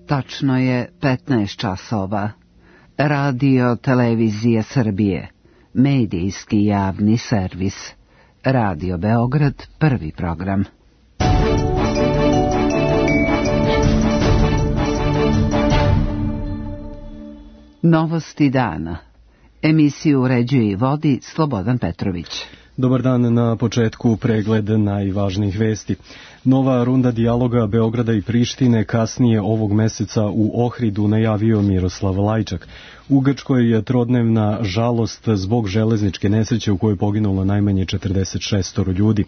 Tačno je 15 časova. Radio Televizija Srbije, medijski javni servis. Radio Beograd, prvi program. Novosti dana. Emisiju uređuje i vodi Slobodan Petrović. Dobar dan, na početku pregled najvažnijih vesti. Nova runda dijaloga Beograda i Prištine kasnije ovog meseca u Ohridu najavio Miroslav Lajčak. U Grčkoj je trodnevna žalost zbog železničke nesreće u kojoj je poginulo najmanje 46 ljudi.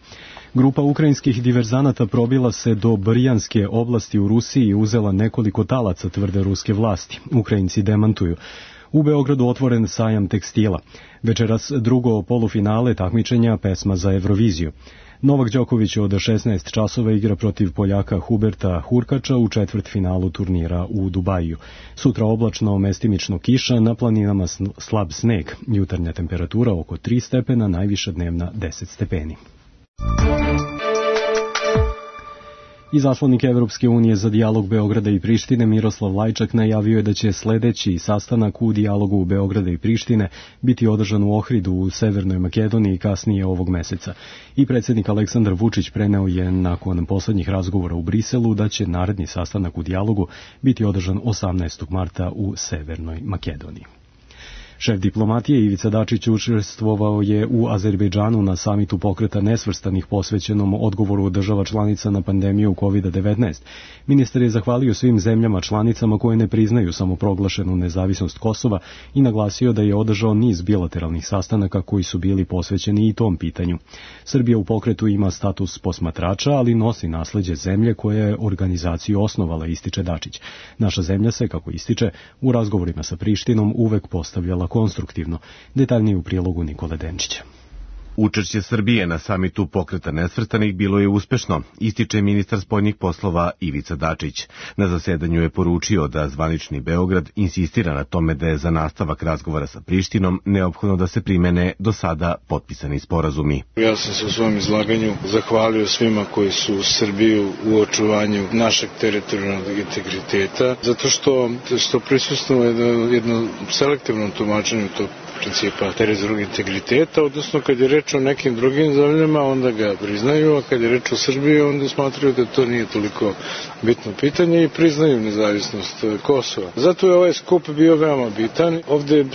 Grupa ukrajinskih diverzanata probila se do Brjanske oblasti u Rusiji i uzela nekoliko talaca, tvrde ruske vlasti. Ukrajinci demantuju. U Beogradu otvoren sajam tekstila. Večeras drugo polufinale takmičenja pesma za Euroviziju. Novak Đoković od 16 časova igra protiv Poljaka Huberta Hurkača u četvrtfinalu turnira u Dubaju. Sutra oblačno, mestimično kiša, na planinama slab sneg. Jutarnja temperatura oko 3 stepena, najviša dnevna 10 stepeni. Izaslanik Evropske unije za dijalog Beograda i Prištine Miroslav Lajčak najavio je da će sledeći sastanak u dijalogu Beograda i Prištine biti održan u Ohridu u Severnoj Makedoniji kasnije ovog meseca. I predsjednik Aleksandar Vučić preneo je nakon poslednjih razgovora u Briselu da će naredni sastanak u dijalogu biti održan 18. marta u Severnoj Makedoniji. Šef diplomatije Ivica Dačić učestvovao je u Azerbejdžanu na samitu pokreta nesvrstanih posvećenom odgovoru država članica na pandemiju COVID-19. Ministar je zahvalio svim zemljama članicama koje ne priznaju samoproglašenu nezavisnost Kosova i naglasio da je održao niz bilateralnih sastanaka koji su bili posvećeni i tom pitanju. Srbija u pokretu ima status posmatrača, ali nosi nasleđe zemlje koja je organizaciju osnovala, ističe Dačić. Naša zemlja se, kako ističe, u razgovorima sa Prištinom uvek postavljala konstruktivno. Detaljnije u prilogu Nikole Denčića. Učešće Srbije na samitu pokreta nesvrstanih bilo je uspešno, ističe ministar spoljnih poslova Ivica Dačić. Na zasedanju je poručio da zvanični Beograd insistira na tome da je za nastavak razgovora sa Prištinom neophodno da se primene do sada potpisani sporazumi. Ja sam se u svom izlaganju zahvalio svima koji su Srbiju u očuvanju našeg teritorijalnog integriteta, zato što prisustvuje jednom selektivnom tumačenju tog principa teritorijalnog integriteta, odnosno kad je reč o nekim drugim zemljama, onda ga priznaju, a kad je reč o Srbiji, onda smatraju da to nije toliko bitno pitanje i priznaju nezavisnost Kosova. Zato je ovaj skup bio veoma bitan. Ovde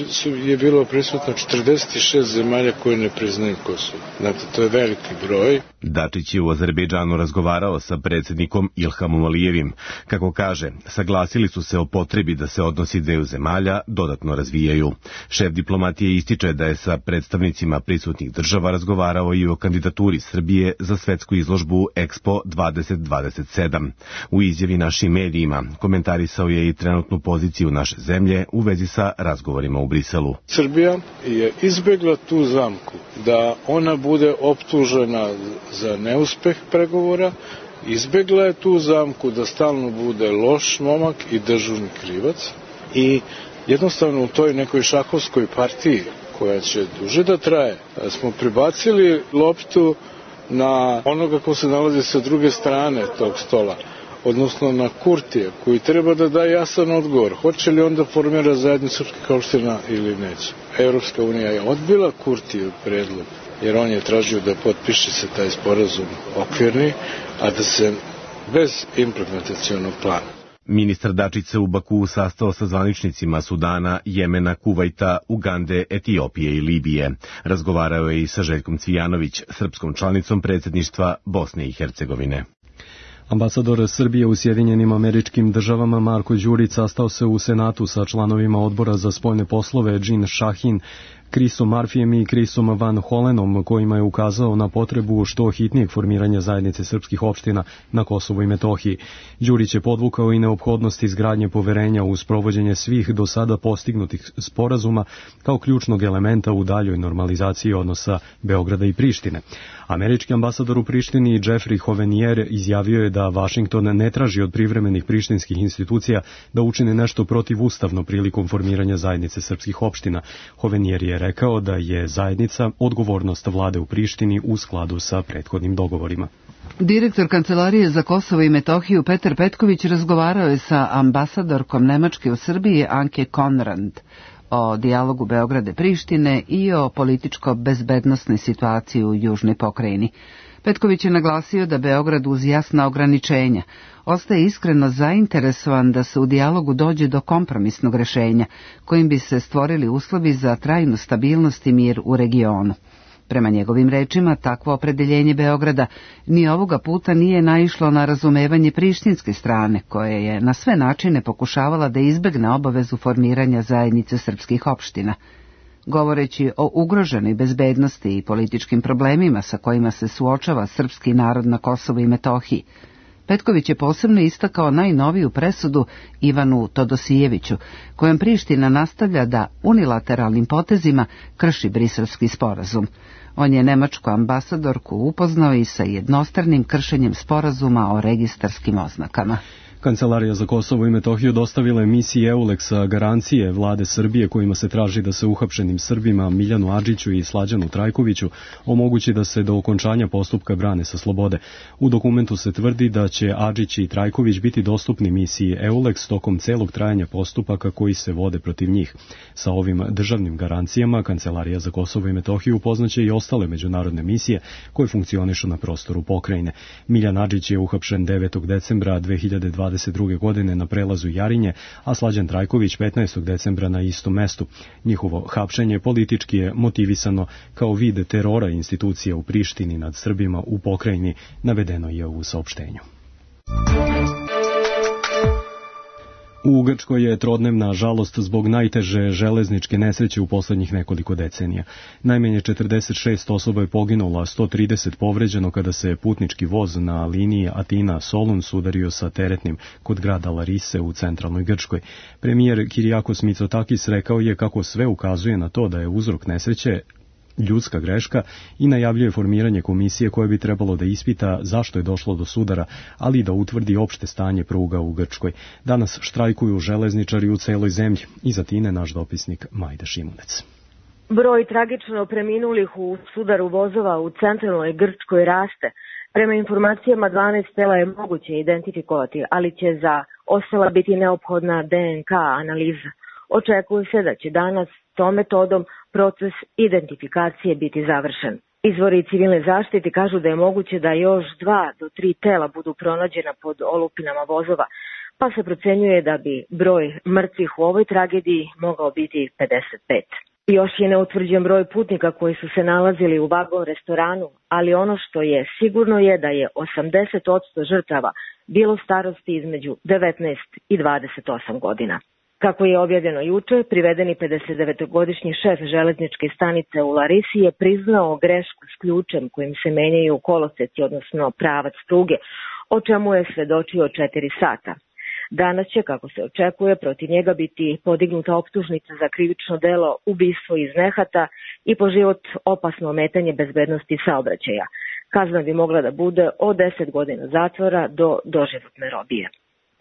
je bilo prisutno 46 zemalja koje ne priznaju Kosovo. Znate, to je veliki broj. Dačić je u Azerbejdžanu razgovarao sa predsjednikom Ilhamom Alijevim. Kako kaže, saglasili su se o potrebi da se odnosi dveju zemalja dodatno razvijaju. Šef diplomatije ističe da je sa predstavnicima prisutnih država razgovarao i o kandidaturi Srbije za svetsku izložbu Expo 2027. U izjavi našim medijima komentarisao je i trenutnu poziciju naše zemlje u vezi sa razgovorima u Briselu. Srbija je izbegla tu zamku da ona bude optužena za neuspeh pregovora, izbegla je tu zamku da stalno bude loš momak i dežurni krivac i jednostavno u toj nekoj šahovskoj partiji koja će duže da traje, smo pribacili loptu na onoga ko se nalazi sa druge strane tog stola, odnosno na Kurtija, koji treba da da jasan odgovor. Hoće li onda formira zajednicu srpskih opština ili neće? Evropska unija je odbila Kurtijev predlog, jer on je tražio da potpiše se taj sporazum okvirni, a da se bez implementacionog plana. Ministar Dačić se u Bakuu sastao sa zvaničnicima Sudana, Jemena, Kuvajta, Ugande, Etiopije i Libije. Razgovarao je i sa Željkom Cvijanović, srpskom članicom predsjedništva Bosne i Hercegovine. Ambasador Srbije u Sjedinjenim Američkim Državama Marko Đurić sastao se u Senatu sa članovima odbora za spoljne poslove Jean Shahin, Chrisom Marfijem i Chrisom Van Holenom, kojima je ukazao na potrebu što hitnijeg formiranja zajednice srpskih opština na Kosovu i Metohiji. Đurić je podvukao i neophodnost izgradnje poverenja u sprovođenje svih do sada postignutih sporazuma kao ključnog elementa u daljoj normalizaciji odnosa Beograda i Prištine. Američki ambasador u Prištini Jeffrey Hovenier izjavio je da Vašington ne traži od privremenih prištinskih institucija da učine nešto protivustavno prilikom formiranja zajednice srpskih opština. Hovenier je je rekao da je zajednica odgovornost vlade u Prištini u skladu sa prethodnim dogovorima. Direktor Kancelarije za Kosovo i Metohiju Petar Petković razgovarao je sa ambasadorkom Nemačke u Srbiji Anke Konrad o dijalogu Beograda i Prištine i o političko-bezbednosnoj situaciji u južnoj pokrajini. Petković je naglasio da Beograd uz jasna ograničenja ostaje iskreno zainteresovan da se u dijalogu dođe do kompromisnog rešenja, kojim bi se stvorili uslovi za trajnu stabilnost i mir u regionu. Prema njegovim rečima, takvo opredeljenje Beograda ni ovoga puta nije naišlo na razumevanje prištinske strane, koja je na sve načine pokušavala da izbegne obavezu formiranja zajednice srpskih opština. Govoreći o ugroženoj bezbednosti i političkim problemima sa kojima se suočava srpski narod na Kosovu i Metohiji, Petković je posebno istakao najnoviju presudu Ivanu Todosijeviću, kojom Priština nastavlja da unilateralnim potezima krši Briselski sporazum. On je nemačku ambasadorku upoznao i sa jednostranim kršenjem sporazuma o registarskim oznakama. Kancelarija za Kosovo i Metohiju dostavila je misiji EULEX-a garancije vlade Srbije kojima se traži da se uhapšenim Srbima Miljanu Adžiću i Slađanu Trajkoviću omogući da se do okončanja postupka brane sa slobode. U dokumentu se tvrdi da će Adžić i Trajković biti dostupni misiji EULEX tokom celog trajanja postupaka koji se vode protiv njih. Sa ovim državnim garancijama Kancelarija za Kosovo i Metohiju upoznaće i ostale međunarodne misije koje funkcionišu na prostoru pokrajine. Miljan Adžić je uhapšen 9. decembra 2022. godine na prelazu Jarinje, a Slađan Trajković 15. decembra na istom mestu. Njihovo hapšenje politički je motivisano kao vid terora institucija u Prištini nad Srbima u pokrajini, navedeno je u saopštenju. U Grčkoj je trodnevna žalost zbog najteže železničke nesreće u poslednjih nekoliko decenija. Najmanje 46 osoba je poginulo, a 130 povređeno kada se putnički voz na liniji Atina-Solun sudario sa teretnim kod grada Larise u centralnoj Grčkoj. Premijer Kyriakos Mitsotakis rekao je kako sve ukazuje na to da je uzrok nesreće ljudska greška i najavljuje formiranje komisije koje bi trebalo da ispita zašto je došlo do sudara, ali i da utvrdi opšte stanje pruga u Grčkoj. Danas štrajkuju železničari u celoj zemlji. Iz Atine naš dopisnik Majda Šimunec. Broj tragično preminulih u sudaru vozova u centralnoj Grčkoj raste. Prema informacijama 12 tela je moguće identifikovati, ali će za ostala biti neophodna DNK analiza. Očekuje se da će danas tom metodom proces identifikacije biti završen. Izvori civilne zaštite kažu da je moguće da još 2 do 3 tela budu pronađena pod olupinama vozova, pa se procenjuje da bi broj mrtvih u ovoj tragediji mogao biti 55. Još je neutvrđen broj putnika koji su se nalazili u vagon restoranu, ali ono što je sigurno je da je 80% žrtava bilo starosti između 19 i 28 godina. Kako je objavljeno juče, privedeni 59-godišnji šef železničke stanice u Larisi je priznao grešku s ključem kojim se menjaju koloseci, odnosno pravac pruge, o čemu je svedočio 4 sata. Danas će, kako se očekuje, protiv njega biti podignuta optužnica za krivično delo ubistvo iz nehata i po život opasno ometanje bezbednosti saobraćaja. Kazna bi mogla da bude od 10 godina zatvora do doživotne robije.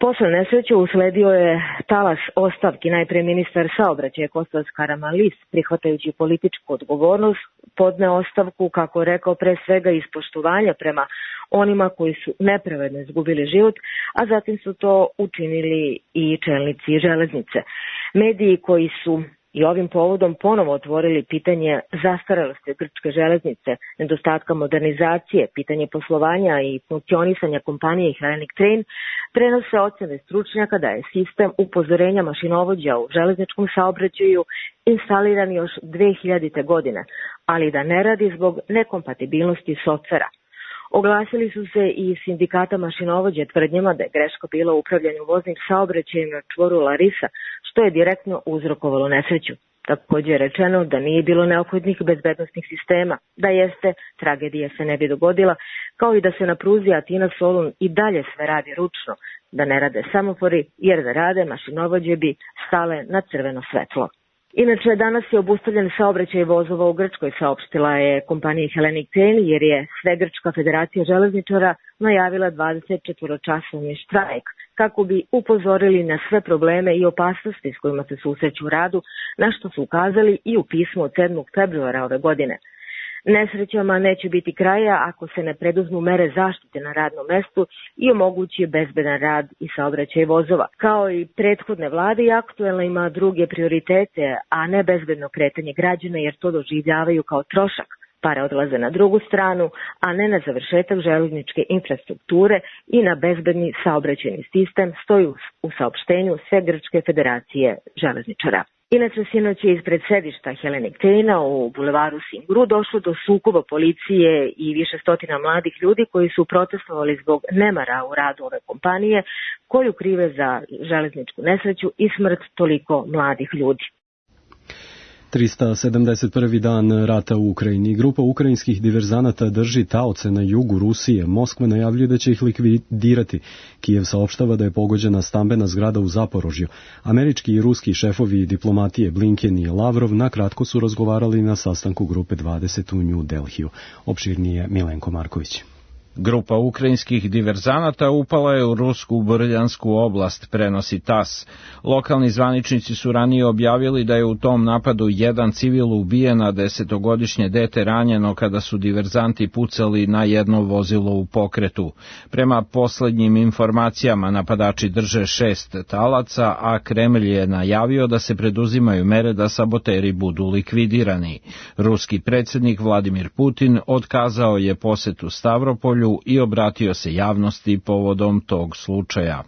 Posle nesreće usledio je talas ostavki. Najpre ministar saobraćaja Kostas Karamanlis, prihvatajući političku odgovornost, podneo ostavku, kako je rekao, pre svega iz poštovanja prema onima koji su nepravedno izgubili život, a zatim su to učinili i čelnici železnice. Mediji koji su i ovim povodom ponovo otvorili pitanje zastarelosti grčke železnice, nedostatka modernizacije, pitanje poslovanja i funkcionisanja kompanije Hellenic Train, prenose ocene stručnjaka da je sistem upozorenja mašinovođa u železničkom saobraćaju instaliran još 2000. godine, ali da ne radi zbog nekompatibilnosti softvera. Oglasili su se i sindikata mašinovođe tvrdnjama da je greška bila u upravljanju voznim saobraćajem na čvoru Larisa, što je direktno uzrokovalo nesreću. Također je rečeno da nije bilo neophodnih bezbednostnih sistema, da jeste, tragedija se ne bi dogodila, kao i da se na pruzi Atina-Solun i dalje sve radi ručno, da ne rade semafori, jer da rade mašinovođe bi stale na crveno svetlo. Inače, danas je obustavljen saobraćaj vozova u Grčkoj, saopštila je kompanija Hellenic Train, jer je Svegrčka federacija železničara najavila 24-časovni štrajk kako bi upozorili na sve probleme i opasnosti s kojima se susreću u radu, na što su ukazali i u pismu od 7. februara ove godine. Nesrećama neće biti kraja ako se ne preduzmu mere zaštite na radnom mestu i omogući bezbedan rad i saobraćaj vozova. Kao i prethodne vlade, i aktuelna ima druge prioritete, a ne bezbedno kretanje građana, jer to doživljavaju kao trošak. Pare odlaze na drugu stranu, a ne na završetak železničke infrastrukture i na bezbedni saobraćajni sistem, stoji u saopštenju Sve grčke federacije železničara. Inače, sinoć je ispred sedišta Hellenic Traina u bulevaru Singuru došlo do sukoba policije i više stotina mladih ljudi koji su protestovali zbog nemara u radu ove kompanije, koju krive za železničku nesreću i smrt toliko mladih ljudi. 371. dan rata u Ukrajini. Grupa ukrajinskih diverzanata drži taoce na jugu Rusije. Moskva najavljuje da će ih likvidirati. Kijev saopštava da je pogođena stambena zgrada u Zaporožju. Američki i ruski šefovi diplomatije Blinken i Lavrov nakratko su razgovarali na sastanku grupe 20 u New Delhiju. Opširnije Milenko Marković. Grupa ukrajinskih diverzanata upala je u rusku Brljansku oblast, prenosi TASS. Lokalni zvaničnici su ranije objavili da je u tom napadu jedan civil ubijen, a 10-godišnje dete ranjeno kada su diverzanti pucali na jedno vozilo u pokretu. Prema poslednjim informacijama, napadači drže 6 talaca, a Kremlj je najavio da se preduzimaju mere da saboteri budu likvidirani. Ruski predsjednik Vladimir Putin otkazao je posetu Stavropolju i obratio se javnosti povodom tog slučaja.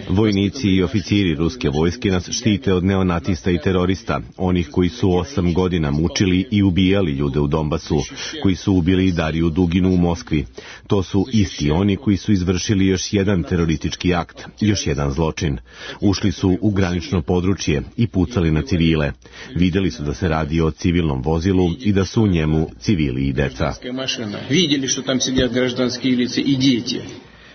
Vojnici i oficiri ruske vojske nas štite od neonacista i terorista, onih koji su 8 godina mučili i ubijali ljude u Donbasu, koji su ubili Dariju Duginu u Moskvi. To su isti oni koji su izvršili još jedan teroristički akt, još jedan zločin. Ušli su u granično područje i pucali na civile. Vidjeli su da se radi o civilnom vozilu i da su u njemu civili i deca. Vidjeli što tam sjedят građanski lice i djeci.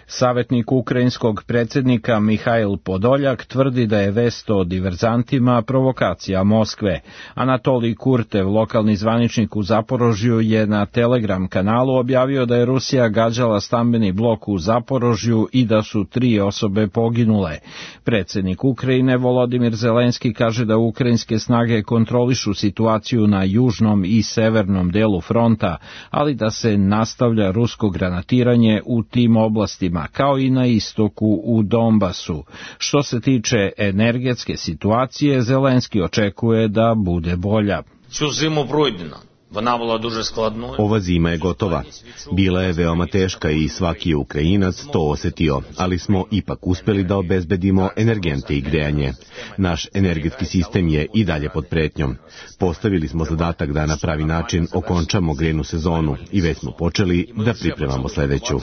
Savjetnik ukrajinskog predsjednika Mihail Podoljak tvrdi da je vest o diverzantima provokacija Moskve. Anatolij Kurtev, lokalni zvaničnik u Zaporožju, je na Telegram kanalu objavio da je Rusija gađala stambeni blok u Zaporožju i da su 3 osobe poginule. Predsjednik Ukrajine Volodimir Zelenski kaže da ukrajinske snage kontrolišu situaciju na južnom i severnom delu fronta, ali da se nastavlja rusko granatiranje u tim oblastima, kao i na istoku u Donbasu. Što se tiče energetske situacije, Zelenski očekuje da bude bolja. Ova zima je gotova. Bila je veoma teška i svaki je Ukrajinac to osjetio, ali smo ipak uspjeli da obezbedimo energente i grejanje. Naš energetski sistem je i dalje pod pretnjom. Postavili smo zadatak da na pravi način okončamo grejnu sezonu i već smo počeli da pripremamo sljedeću.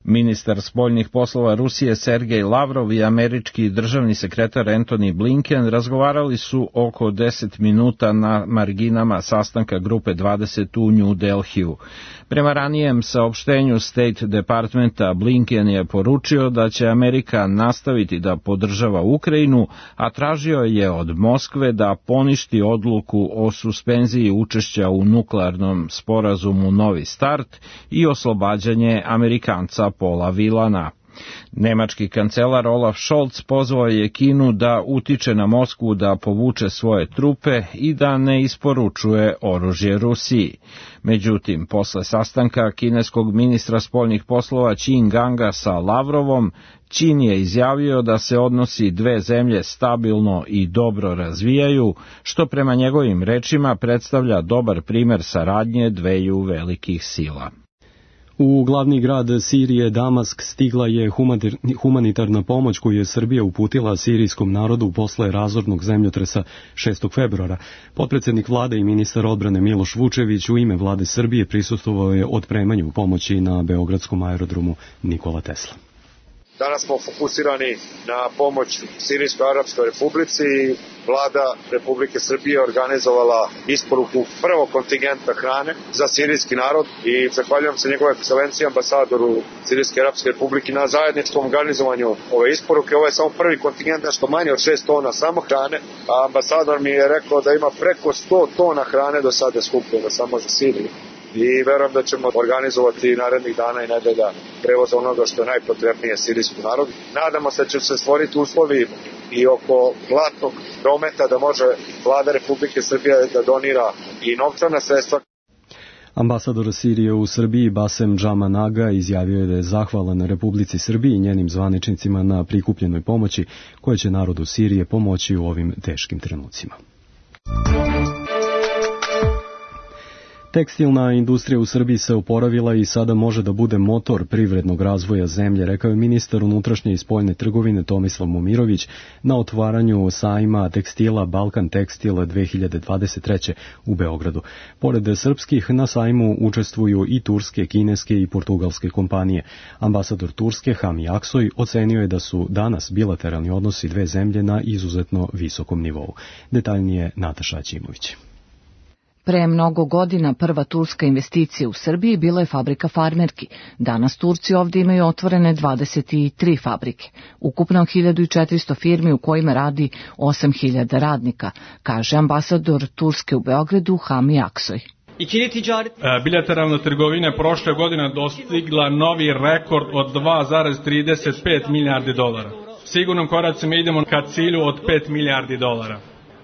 Ministar spoljnih poslova Rusije Sergej Lavrov i američki državni sekretar Antony Blinken razgovarali su oko 10 minuta na marginama sastanka grupe 20 u New Delhiju. Prema ranijem saopštenju State Departmenta, Blinken je poručio da će Amerika nastaviti da podržava Ukrajinu, a tražio je od Moskve da poništi odluku o suspenziji učešća u nuklearnom sporazumu Novi start i oslobađanje Amerikanca Paula Vilana. Nemački kancelar Olaf Scholz pozvao je Kinu da utiče na Moskvu da povuče svoje trupe i da ne isporučuje oružje Rusiji. Međutim, posle sastanka kineskog ministra spoljnih poslova Qin Ganga sa Lavrovom, Čin je izjavio da se odnosi dve zemlje stabilno i dobro razvijaju, što prema njegovim rečima predstavlja dobar primer saradnje dveju velikih sila. U glavni grad Sirije, Damask, stigla je humanitarna pomoć koju je Srbija uputila sirijskom narodu posle razornog zemljotresa 6. februara. Potpredsjednik vlade i ministar odbrane Miloš Vučević u ime vlade Srbije prisustvovao je otpremanju pomoći na beogradskom aerodromu Nikola Tesla. Danas smo fokusirani na pomoć Sirijskoj Arapskoj Republici. Vlada Republike Srbije organizovala isporuku prvog kontingenta hrane za sirijski narod i zahvaljujem se njegove ekscelenciji ambasadoru Sirijske Arapske Republike na zajedničkom organizovanju ove isporuke. Ovo je samo prvi kontingent, nešto manje od 6 tona samo hrane, a ambasador mi je rekao da ima preko 100 tona hrane do sada skupljeno samo za Siriju. i verujem da ćemo organizovati narednih dana i nedelja prevoz onoga što je najpotrebnije sirijskom narodu. Nadamo se da će se stvoriti uslovi i oko zlatnog prometa da može Vlada Republike Srbije da donira i novčana sredstva. Ambasador Sirije u Srbiji Basem Džamanaga izjavio je da je zahvalan Republici Srbiji i njenim zvaničnicima na prikupljenoj pomoći koja će narodu Sirije pomoći u ovim teškim trenucima. Tekstilna industrija u Srbiji se oporavila i sada može da bude motor privrednog razvoja zemlje, rekao je ministar unutrašnje i spoljne trgovine Tomislav Momirović na otvaranju sajma tekstila Balkan Tekstil 2023. u Beogradu. Pored srpskih, na sajmu učestvuju i turske, kineske i portugalske kompanije. Ambasador Turske Hami Aksoy ocenio je da su danas bilateralni odnosi dve zemlje na izuzetno visokom nivou. Detaljnije Nataša Aćimović. Pre mnogo godina prva turska investicija u Srbiji bila je fabrika farmerki. Danas Turci ovdje imaju otvorene 23 fabrike. Ukupno 1400 firmi u kojima radi 8000 radnika, kaže ambasador Turske u Beogradu Hami Aksoy. Bilateralna trgovina prošle godine dostigla novi rekord od 2,35 milijardi dolara. Sigurnom koracima idemo ka cilju od 5 milijardi dolara.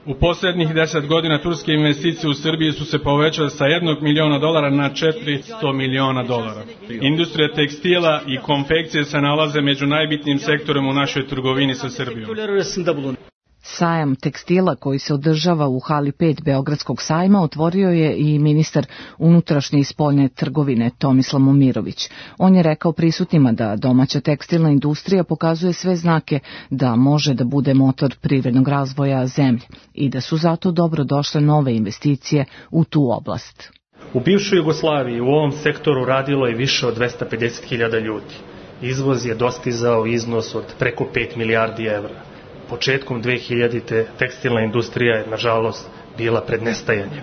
U posljednjih 10 godina turske investicije u Srbiji su se povećale sa 1 miliona dolara na 400 miliona dolara. Industrija tekstila i konfekcije se nalaze među najbitnijim sektorima u našoj trgovini sa Srbijom. Sajam tekstila koji se održava u hali 5 Beogradskog sajma otvorio je i ministar unutrašnje i spoljne trgovine Tomislav Momirović. On je rekao prisutnima da domaća tekstilna industrija pokazuje sve znake da može da bude motor privrednog razvoja zemlje i da su zato dobro došle nove investicije u tu oblast. U bivšoj Jugoslaviji u ovom sektoru radilo je više od 250.000 ljudi. Izvoz je dostizao iznos od preko 5 milijardi evra. Početkom 2000. tekstilna industrija je, nažalost, bila pred nestajanjem.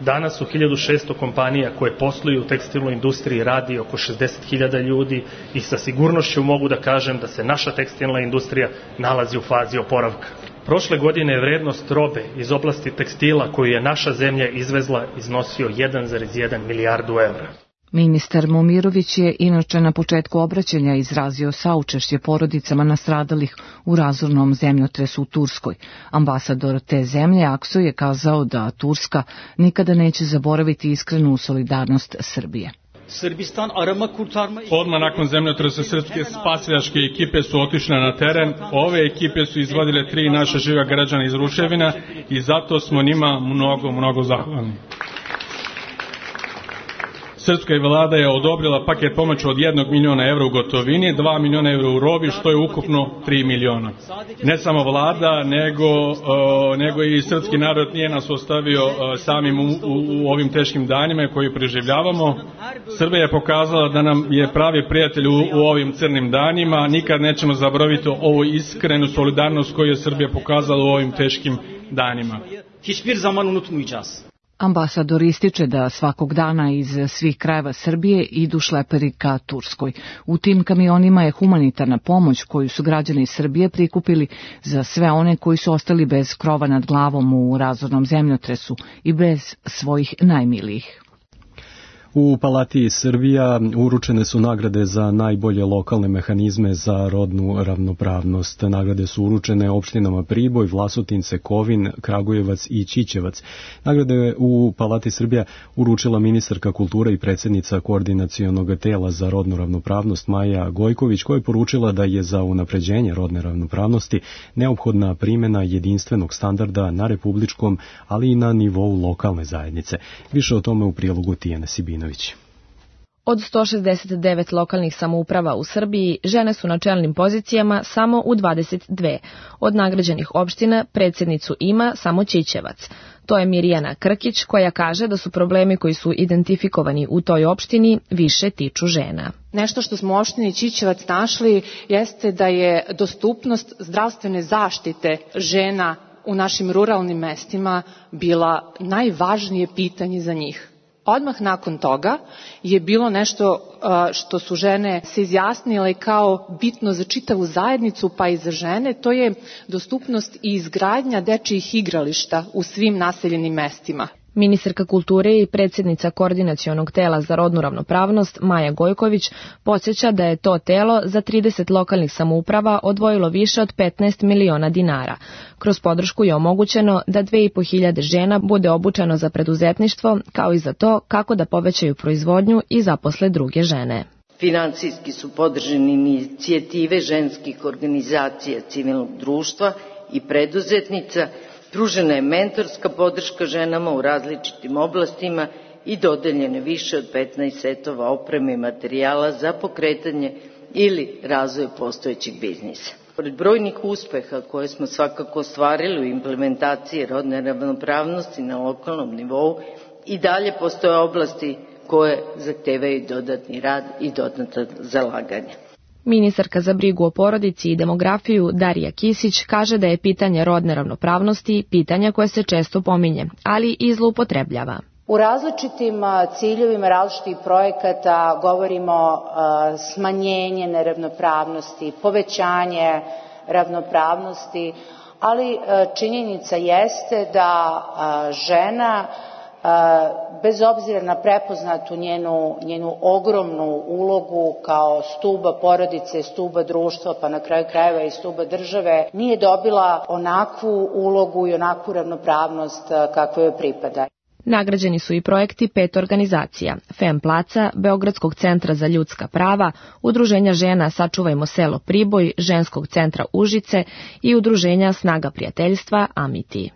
Danas u 1600 kompanija koje posluju u tekstilnoj industriji radi oko 60.000 ljudi i sa sigurnošću mogu da kažem da se naša tekstilna industrija nalazi u fazi oporavka. Prošle godine je vrednost robe iz oblasti tekstila koju je naša zemlja izvezla iznosio 1,1 milijardu evra. Ministar Momirović je inače na početku obraćanja izrazio saučešće porodicama nastradalih u razornom zemljotresu u Turskoj. Ambasador te zemlje Aksoy je kazao da Turska nikada neće zaboraviti iskrenu solidarnost Srbije. Odmah nakon zemljotresa srpske spasilačke ekipe su otišle na teren. Ove ekipe su izvadile 3 naša živa građana iz ruševina i zato smo njima mnogo zahvalni. Srpska vlada je odobrila paket pomoći od 1 miliona evra u gotovini, 2 miliona evra u robi, što je ukupno 3 miliona. Ne samo vlada, nego i srpski narod nije nas ostavio samim u ovim teškim danima koje preživljavamo. Srbija je pokazala da nam je pravi prijatelj u ovim crnim danima. Nikad nećemo zaboraviti ovu iskrenu solidarnost koju je Srbija pokazala u ovim teškim danima. Hiçbir zaman unutmayacağız. Ambasador ističe da svakog dana iz svih krajeva Srbije idu šleperi ka Turskoj. U tim kamionima je humanitarna pomoć koju su građani Srbije prikupili za sve one koji su ostali bez krova nad glavom u razornom zemljotresu i bez svojih najmilijih. U Palati Srbija uručene su nagrade za najbolje lokalne mehanizme za rodnu ravnopravnost. Nagrade su uručene opštinama Priboj, Vlasotince, Kovin, Kragujevac i Ćićevac. Nagrade u Palati Srbija uručila ministarka kulture i predsjednica koordinacionog tela za rodnu ravnopravnost Maja Gojković, koja je poručila da je za unapređenje rodne ravnopravnosti neophodna primjena jedinstvenog standarda na republičkom, ali i na nivou lokalne zajednice. Više o tome u prilogu Tijane Sibinović. Od 169 lokalnih samouprava u Srbiji, žene su na čelnim pozicijama samo u 22. Od nagrađenih opština predsjednicu ima samo Ćićevac. To je Mirjana Krkić, koja kaže da su problemi koji su identifikovani u toj opštini više tiču žena. Nešto što smo u opštini Ćićevac našli jeste da je dostupnost zdravstvene zaštite žena u našim ruralnim mestima bila najvažnije pitanje za njih. Odmah nakon toga je bilo nešto što su žene se izjasnile kao bitno za čitavu zajednicu, pa i za žene, to je dostupnost i izgradnja dečijih igrališta u svim naseljenim mestima. Ministarka kulture i predsjednica Koordinacionog tela za rodnu ravnopravnost Maja Gojković podsjeća da je to telo za 30 lokalnih samouprava odvojilo više od 15 miliona dinara. Kroz podršku je omogućeno da 2500 žena bude obučeno za preduzetništvo, kao i za to kako da povećaju proizvodnju i zaposle druge žene. Finansijski su podržane inicijative ženskih organizacija civilnog društva i preduzetnica, pružena je mentorska podrška ženama u različitim oblastima i dodeljene više od 15 setova opreme i materijala za pokretanje ili razvoj postojećeg biznisa. Pored brojnih uspeha koje smo svakako ostvarili u implementaciji rodne ravnopravnosti na lokalnom nivou, i dalje postoje oblasti koje zahtevaju dodatni rad i dodatno zalaganje. Ministarka za brigu o porodici i demografiju Darija Kisić kaže da je pitanje rodne ravnopravnosti pitanja koje se često pominje, ali i zloupotrebljava. U različitim ciljevima različitih projekata govorimo smanjenje neravnopravnosti, povećanje ravnopravnosti, ali činjenica jeste da žena, bez obzira na prepoznatu njenu ogromnu ulogu kao stuba porodice, stuba društva, pa na kraju krajeva i stuba države, nije dobila onakvu ulogu i onakvu ravnopravnost kakva joj pripada. Nagrađeni su i projekti 5 organizacija: FEM Placa, Beogradskog centra za ljudska prava, Udruženja žena Sačuvajmo selo Priboj, Ženskog centra Užice i Udruženja Snaga prijateljstva Amiti.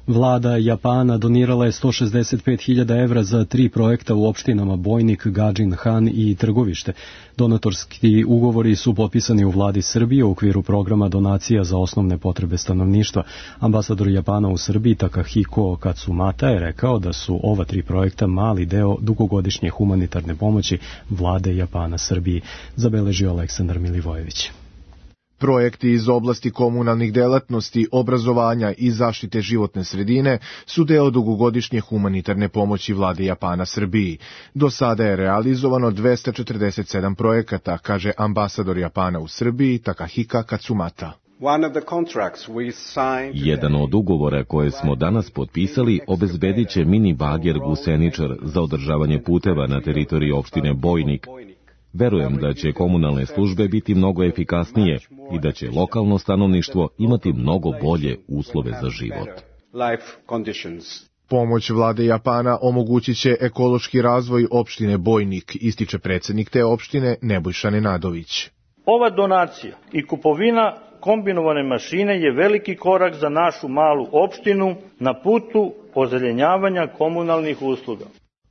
Vlada Japana donirala je 165.000 evra za 3 projekta u opštinama Bojnik, Gadžin Han i Trgovište. Donatorski ugovori su potpisani u vladi Srbije u okviru programa donacija za osnovne potrebe stanovništva. Ambasador Japana u Srbiji Takahiko Katsumata je rekao da su ova 3 projekta mali deo dugogodišnje humanitarne pomoći vlade Japana Srbiji, zabeležio Aleksandar Milivojević. Projekti iz oblasti komunalnih delatnosti, obrazovanja i zaštite životne sredine su deo dugogodišnje humanitarne pomoći vlade Japana Srbiji. Do sada je realizovano 247 projekata, kaže ambasador Japana u Srbiji Takahiko Katsumata. Jedan od ugovora koje smo danas potpisali obezbedit će mini bager Guseničar za održavanje puteva na teritoriji opštine Bojnik. Verujem da će komunalne službe biti mnogo efikasnije i da će lokalno stanovništvo imati mnogo bolje uslove za život. Pomoć vlade Japana omogućit će ekološki razvoj opštine Bojnik, ističe predsjednik te opštine Nebojša Nenadović. Ova donacija i kupovina kombinovane mašine je veliki korak za našu malu opštinu na putu ozelenjavanja komunalnih usluga.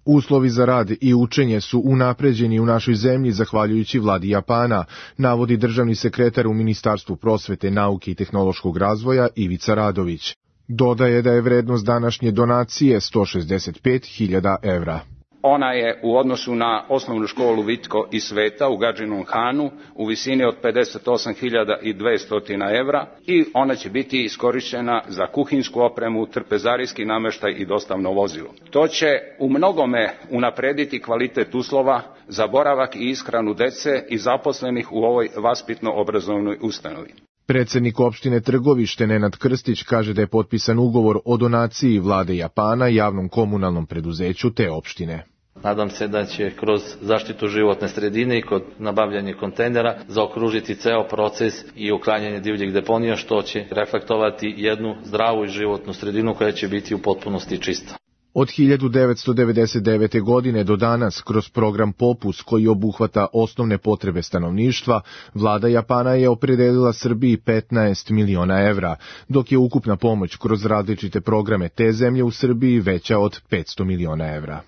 Uslovi za rad i učenje su unapređeni u našoj zemlji zahvaljujući vladi Japana, navodi državni sekretar u Ministarstvu prosvete, nauke i tehnološkog razvoja Ivica Radović. Dodaje da je vrednost današnje donacije 165.000 evra. Ona je u odnosu na osnovnu školu Vitko i Sveta u Gadžinom Hanu u visini od 58.200 evra i ona će biti iskorištena za kuhinsku opremu, trpezarijski nameštaj i dostavno vozilo. To će u mnogome unaprediti kvalitet uslova za boravak i ishranu dece i zaposlenih u ovoj vaspitno-obrazovnoj ustanovi. Predsjednik opštine Trgovište Nenad Krstić kaže da je potpisan ugovor o donaciji vlade Japana javnom komunalnom preduzeću te opštine. Nadam se da će kroz zaštitu životne sredine i kod nabavljanja kontejnera zaokružiti ceo proces i uklanjanje divljih deponija, što će reflektovati jednu zdravu i životnu sredinu koja će biti u potpunosti čista. Od 1999. godine do danas, kroz program Popus koji obuhvata osnovne potrebe stanovništva, vlada Japana je opredelila Srbiji 15 miliona evra, dok je ukupna pomoć kroz različite programe te zemlje u Srbiji veća od 500 miliona evra.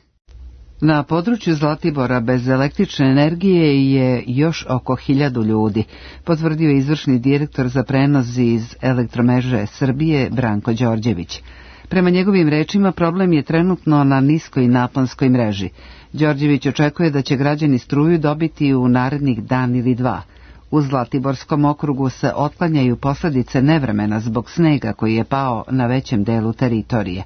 Na području Zlatibora bez električne energije je još oko 1000 ljudi, potvrdio izvršni direktor za prenos iz Elektromreže Srbije Branko Đorđević. Prema njegovim rečima, problem je trenutno na niskoj naponskoj mreži. Đorđević očekuje da će građani struju dobiti u narednih dan ili dva. U Zlatiborskom okrugu se otklanjaju posljedice nevremena zbog snega koji je pao na većem delu teritorije.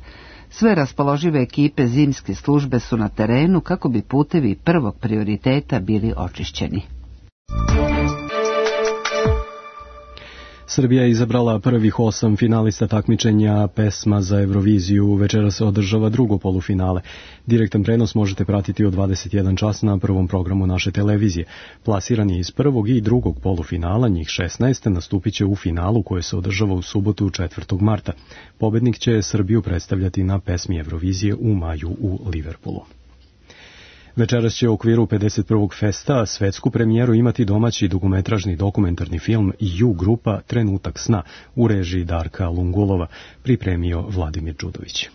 Sve raspoložive ekipe zimske službe su na terenu kako bi putevi prvog prioriteta bili očišćeni. Srbija je izabrala prvih 8 finalista takmičenja pesma za Euroviziju. Večera se održava drugo polufinale. Direktan prenos možete pratiti od 21 čas na prvom programu naše televizije. Plasirani iz prvog i drugog polufinala, njih 16, nastupit će u finalu koje se održava u subotu 4. marta. Pobednik će Srbiju predstavljati na pesmi Eurovizije u maju u Liverpoolu. Večeras će u okviru 51. festa svetsku premijeru imati domaći dugometražni dokumentarni film U grupa Trenutak sna u režiji Darka Lungulova, pripremio Vladimir Đudović.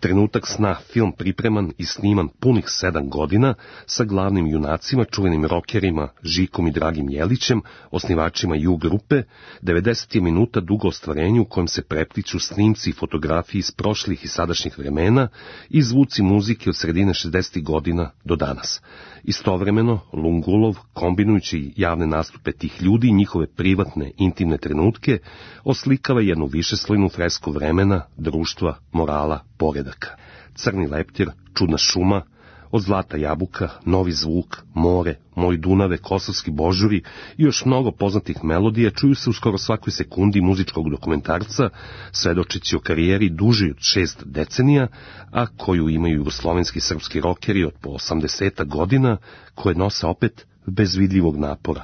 Trenutak sna, film pripreman i sniman punih 7 godina sa glavnim junacima, čuvenim rokerima Žikom i Dragim Jelićem, osnivačima U grupe, 90 minuta dugo ostvarenje u kojem se prepliču snimci i fotografiji iz prošlih i sadašnjih vremena i zvuci muzike od sredine 60. godina do danas. Istovremeno, Lungulov, kombinujući javne nastupe tih ljudi i njihove privatne, intimne trenutke, oslikava jednu višeslojnu fresku vremena, društva, morala, poredaka. Crni leptir, čudna šuma, od Zlata jabuka, Novi zvuk, more, Moj Dunave, Kosovski božuri i još mnogo poznatih melodija čuju se u skoro svakoj sekundi muzičkog dokumentarca, svedočeći o karijeri duži od 6 decenija, a koju imaju jugoslovenski srpski rokeri od po 80 godina, koje nose opet bez vidljivog napora.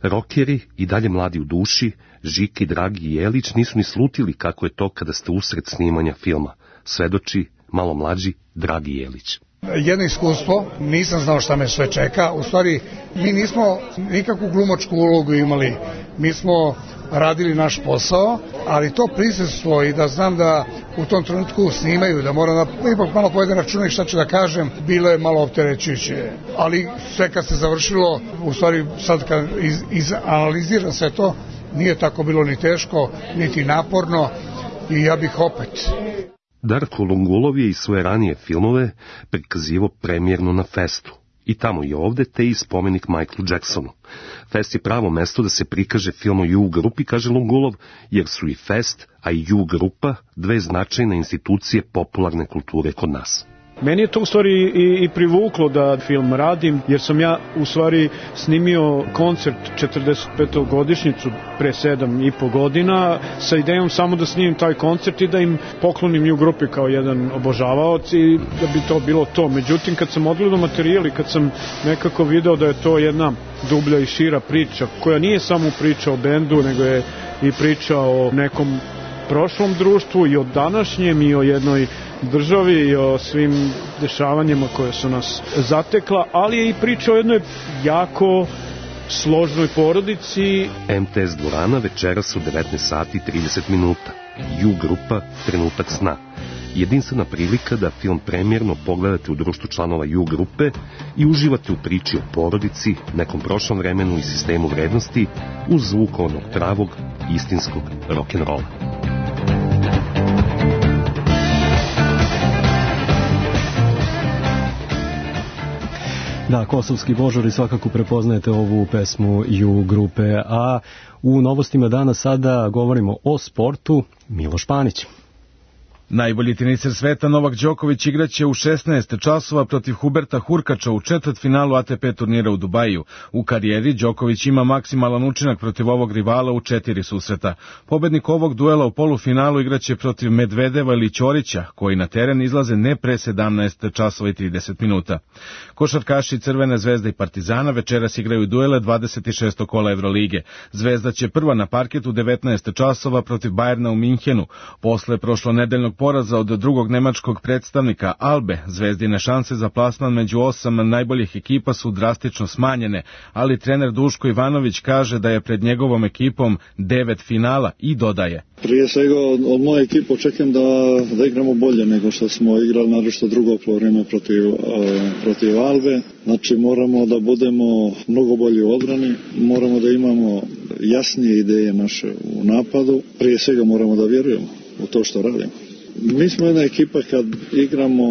Rokeri, i dalje mladi u duši, Žika i Dragi Jelić nisu ni slutili kako je to kada ste usred snimanja filma, svedoči malo mlađi Dragi Jelić. Jedno iskustvo, nisam znao šta me sve čeka, u stvari mi nismo nikakvu glumačku ulogu imali, mi smo radili naš posao, ali to prisustvo i da znam da u tom trenutku snimaju, da moram da ipak malo povedem računa šta ću da kažem, bilo je malo opterećujuće, ali sve kad se završilo, u stvari sad kad izanaliziram sve to, nije tako bilo ni teško, niti naporno i ja bih opet. Darko Lungulov je i svoje ranije filmove prikazivao premijerno na festu. I tamo i ovde te i spomenik Michaelu Jacksonu. Fest je pravo mesto da se prikaže film o U grupi, kaže Lungulov, jer su i Fest, a i U grupa dve značajne institucije popularne kulture kod nas. Meni je to u stvari i privuklo da film radim, jer sam ja u stvari snimio koncert 45. godišnjicu pre 7,5 godina sa idejom samo da snimim taj koncert i da im poklonim U grupi kao jedan obožavaoc i da bi to bilo to. Međutim, kad sam odgledao materijal i kad sam nekako video da je to jedna dublja i šira priča, koja nije samo priča o bendu, nego je i priča o nekom prošlom društvu i o današnjem i o jednoj državi i o svim dešavanjima koje su nas zatekla, ali je i priča o jednoj jako složnoj porodici. MTS dvorana večeras u 19 sati 30 minuta. U grupa Trenutak sna. Jedinstvena prilika da film premijerno pogledate u društvu članova U grupe i uživate u priči o porodici, nekom prošlom vremenu i sistemu vrednosti uz zvuk onog pravog, istinskog rock'n'rolla. Da, Kosovski božuri, svakako prepoznajete ovu pesmu U grupe, a u novostima dana sada govorimo o sportu. Miloš Panić. Najbolji teniser sveta Novak Đoković igraće u 16 časova protiv Huberta Hurkača u četvrtfinalu ATP turnira u Dubaju. U karijeri Đoković ima maksimalan učinak protiv ovog rivala u 4 susreta. Pobednik ovog duela u polufinalu igraće protiv Medvedeva ili Ćorića, koji na teren izlaze ne pre 17 časova i 30 minuta. Košarkaši Crvene zvezde i Partizana večeras igraju duele 26. kola Evrolige. Zvezda će prva na parket u 19 časova protiv Bajerna u Minhenu. Posle prošlonedeljnog poraza od drugog nemačkog predstavnika Albe, Zvezdine šanse za plasman među 8 najboljih ekipa su drastično smanjene, ali trener Duško Ivanović kaže da je pred njegovom ekipom 9 finala i dodaje. Prije svega od moje ekipe očekujem da igramo bolje nego što smo igrali naročito drugo poluvreme protiv Albe. Znači moramo da budemo mnogo bolji u odbrani, moramo da imamo jasnije ideje naše u napadu. Prije svega moramo da vjerujemo u to što radimo. Mi smo jedna ekipa kad igramo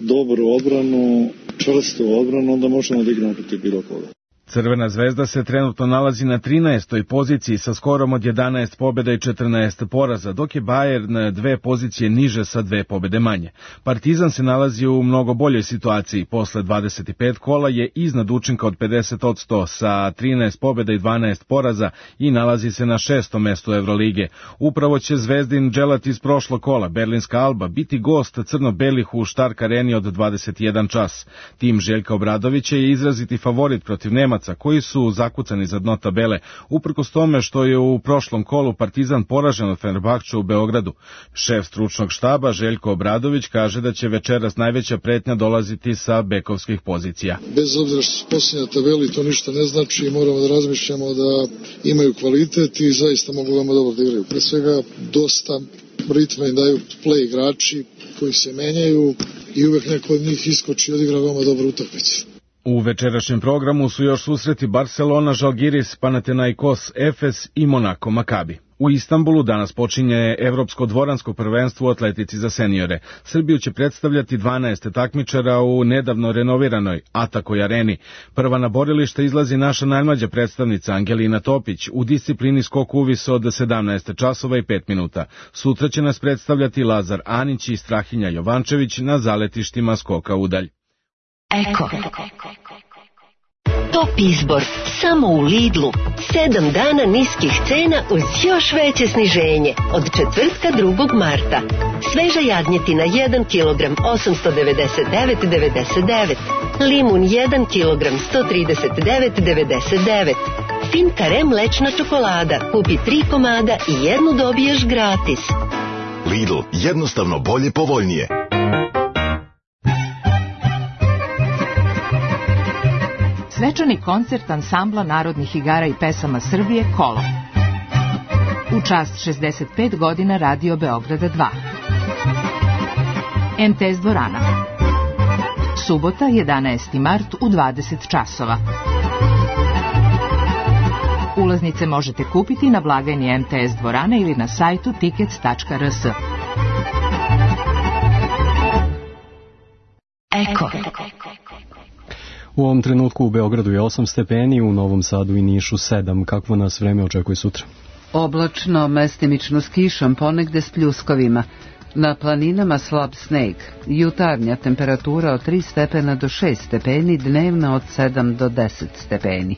dobru odbranu, čvrstu odbranu, onda možemo da igramo protiv bilo koga. Crvena zvezda se trenutno nalazi na 13. poziciji sa skorom od 11 pobjeda i 14 poraza, dok je Bayern 2 pozicije niže sa 2 pobjede manje. Partizan se nalazi u mnogo boljoj situaciji. Posle 25 kola je iznad učinka od 50% sa 13 pobjeda i 12 poraza i nalazi se na 6. mestu Evrolige. Upravo će Zvezdin dželat iz prošlog kola, Berlinska Alba, biti gost crno-belih u Stark areni od 21 čas. Tim Željka Obradovića je izraziti favorit protiv Nemaca, koji su zakucani za dno tabele, uprkos tome što je u prošlom kolu Partizan poražen od Fenerbahča u Beogradu. Šef stručnog štaba Željko Obradović kaže da će večeras najveća pretnja dolaziti sa bekovskih pozicija. Bez obzira što su posljednja tabeli, to ništa ne znači i moramo da razmišljamo da imaju kvalitet i zaista mogu veoma dobro da igraju. Pre svega dosta ritma im daju play igrači koji se menjaju i uvek neko od njih iskoči i odigra veoma dobro utakmicu. U večerašnjem programu su još susreti Barcelona, Žalgiris, Panathinaikos, Efes i Monako Makabi. U Istanbulu danas počinje Evropsko dvoransko prvenstvo u atletici za seniore. Srbiju će predstavljati 12 takmičara u nedavno renoviranoj Atakoj areni. Prva na borilište izlazi naša najmlađa predstavnica Angelina Topić u disciplini skok uvis od 17 časova i 5 minuta. Sutra će nas predstavljati Lazar Anić i Strahinja Jovančević na zaletištima skoka udalj. Eko. Top izbor samo u Lidlu. 7 dana niskih cena uz još veće sniženje. Od četvrtka 2. marta. Sveža jagnjetina 1 kg 899,99. Limun 1 kg 139,99. Fin kare mlečna čokolada. Kupi 3 komada i jednu dobiješ gratis. Lidl, jednostavno bolje, povoljnije. Svečani koncert ansambla narodnih igara i pesama Srbije Kolo. U čast 65 godina Radio Beograda 2. MTS dvorana. Subota 11. mart u 20 časova. Ulaznice možete kupiti na blagajni MTS dvorane ili na sajtu tickets.rs. Eko. U ovom trenutku u Beogradu je 8 stepeni, u Novom Sadu i Nišu 7. Kakvo nas vreme očekuje sutra? Oblačno, mestimično s kišom, ponegde s pljuskovima. Na planinama slab sneg. Jutarnja temperatura od 3 stepena do 6 stepeni, dnevna od 7 do 10 stepeni.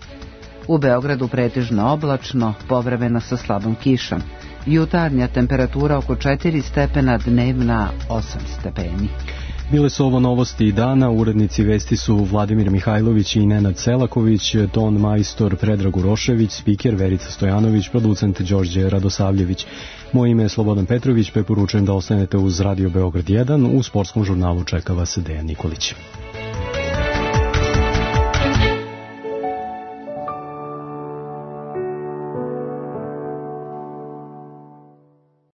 U Beogradu pretežno oblačno, povremeno sa slabom kišom. Jutarnja temperatura oko 4 stepena, dnevna 8 stepeni. Bile su ovo novosti dana, urednici vesti su Vladimir Mihajlović i Nenad Selaković, ton majstor Predrag Urošević, spiker Verica Stojanović, producent Đorđe Radosavljević. Moje ime je Slobodan Petrović, preporučujem da ostanete uz Radio Beograd 1, u sportskom žurnalu čeka vas Dejan Nikolić.